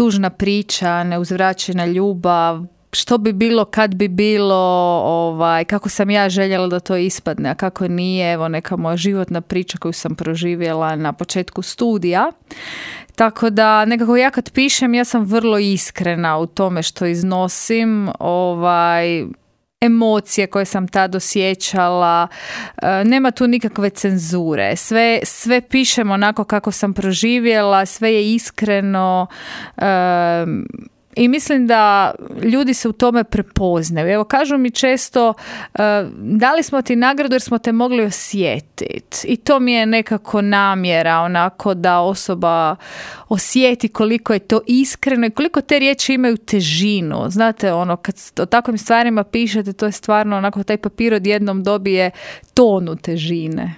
tužna priča, neuzvraćena ljubav, što bi bilo kad bi bilo, kako sam ja željela da to ispadne, a kako nije, evo neka moja životna priča koju sam proživjela na početku studija. Tako da nekako ja kad pišem, ja sam vrlo iskrena u tome što iznosim, emocije koje sam tad osjećala, nema tu nikakve cenzure, sve pišem onako kako sam proživjela, sve je iskreno, i mislim da ljudi se u tome prepoznaju. Evo, kažu mi često, dali smo ti nagradu jer smo te mogli osjetiti. I to mi je nekako namjera, onako da osoba osjeti koliko je to iskreno i koliko te riječi imaju težinu. Znate, kad o takvim stvarima pišete, to je stvarno onako, taj papir odjednom dobije tonu težine.